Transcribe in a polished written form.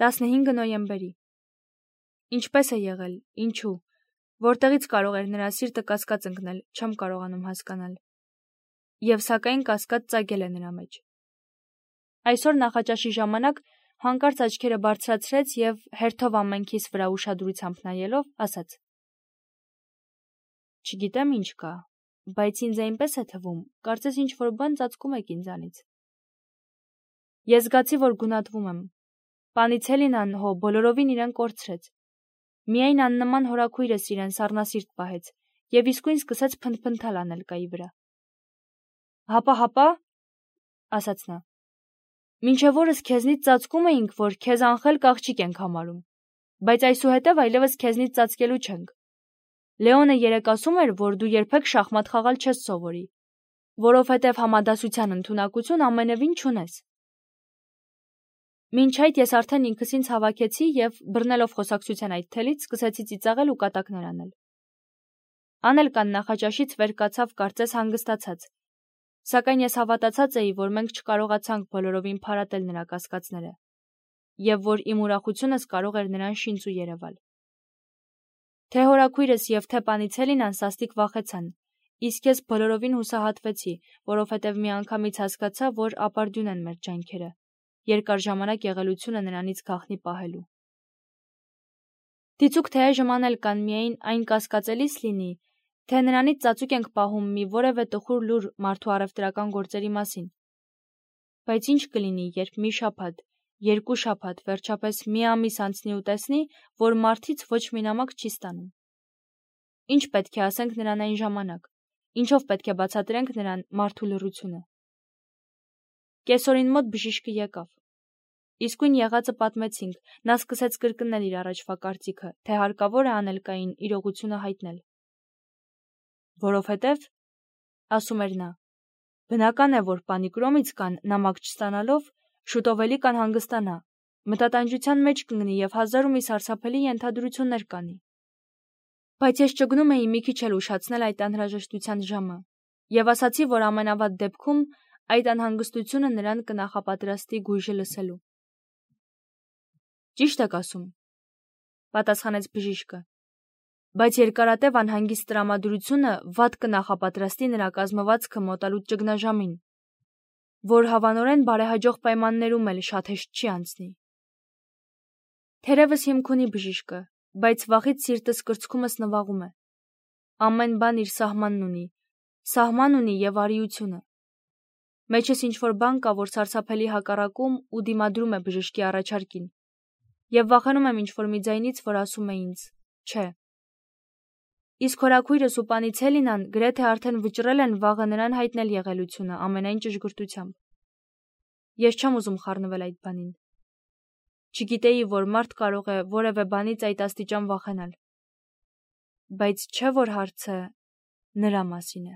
15 նոյեմբերի։ Ինչպես է եղել, ինչու, որտեղից կարող էր նրա սիրտը կասկած ընկնել, չեմ կարողանում հասկանալ։ Եվ սակայն կասկած ծագել է նրա մեջ։ Այսօր նախաճաշի ժամանակ հանկարծ աչքերը բարձրացրեց եւ հերթով ամենքիս վրա ուշադրությամբ նայելով ասաց. Չգիտեմ ինչ կա, բայց ինձ այնպես է թվում, կարծես ինչ-որ բան ծածկում եք ինձանից։ Ես զգացի, որ գունատվում եմ։ Պանիցելինան հո բոլորովին իրեն կորցրեց։ Միայն աննման հորաքույրս իրեն սառնասիրտ պահեց եւ իսկույն սկսեց փնթփնթալ Անելկայի վրա։ Հապա, ասաց նա։ Մինչև օրս քեզնից ծածկում էինք, որ քեզ անխելք աղջիկ ենք համարում, բայց այսուհետև այլևս քեզնից ծածկելու չենք։ Լեոնը երեկ ասում էր, որ դու երբեք շախմատ խաղալ չես սովորի, որովհետև համադասության ընդունակություն ամենևին չունես։ Մինչ այդ ես արդեն ինքս ինձ հավաքեցի եւ բռնելով խոսակցության այդ թելից սկսեցի ծիծաղել ու կատակներ անել։ Անելկան նախաճաշից վեր կացավ կարծես հանգստացած, սակայն ես հավատացած էի, որ մենք չկարողացանք բոլորովին փարատել նրա կասկածները եւ որ իմ ուրախությունս կարող էր նրան շինծու երևալ։ Թե հորաքույրս եւ թե Պանիցելինան սաստիկ վախեցան, իսկ ես բոլորովին հուսահատվեցի, որովհետեւ միանգամից հասկացա, որ ապարդյուն են մեր ջանքերը, երկար ժամանակ եղելությունը նրանից գաղտնի պահելու։ Դիցուք թե այժմ Անելկան միայն այն կասկածելիս լինի, թե նրանից ծածուկ ենք պահում մի որևէ տխուր լուր մարդու առևտրական գործերի մասին։ Բայց ինչ կլինի, երբ մի շաբաթ, երկու շաբաթ, վերջապես մի ամիս անցնի ու տեսնի, որ մարդից ոչ մի նամակ չի ստանում։ Ինչ պետք է ասենք նրան այն ժամանակ, ինչով պետք է բացատրենք նրան մարդու լռությունը։ Կեսօրին մոտ բժիշկը եկավ։ Իսկույն եղածը պատմեցինք, նա սկսեց կրկնել իր առաջվա կարծիքը, թե հարկավոր է Անելկային իրողությունը հայտնել։ Որովհետև, ասում էր նա, բնական է, որ Պանիկրոմից կան նամակ չստանալով, շուտով էլի կանհանգստանա, մտատանջության մեջ կընկնի եւ հազար ու մի սարսափելի ենթադրություններ կանի։ Բայց ես ճգնում էի մի քիչ էլ ուշացնել այդ անհրաժեշտության ժամը եւ ասացի, որ ամենավատ դեպքում այդ անհանգստությունը նրան կնախապատրաստի գույժը լսելու։ Ճիշտ եք ասում, պատասխանեց բժիշկը, բայց երկարատև անհանգիստ տրամադրությունը վատ կնախապատրաստի նրա կազմվածքը մոտալուտ ճգնաժամին, որ հավանորեն բարեհաջող պայմաններում էլ շատ հեշտ չի անցնի։ Թերևս հիմք ունի բժիշկը, բայց վախից սիրտս կրծքումս նվաղում է։ Ամեն բան իր սահման ունի եւ արիությունը։ Մեջս ինչ-որ բան կա, որ սարսափելի հակառակում ու դիմադրում է բժշկի առաջարկին։ Եվ վախենում եմ ինչ-որ մի ձայնից, որ ասում է ինձ. չէ։ Իսկ հորաքույրս ու Պանիցելինան գրեթե արդեն վճռել են վաղը նրան հայտնել եղելությունը ամենայն ճշգրտությամբ։ Ես չեմ ուզում խառնվել այդ բանին։ Չգիտեի, որ մարդ կարող է որևէ բանից այդ աստիճան վախենալ։ Բայց չէ որ հարցը նրա մասին է։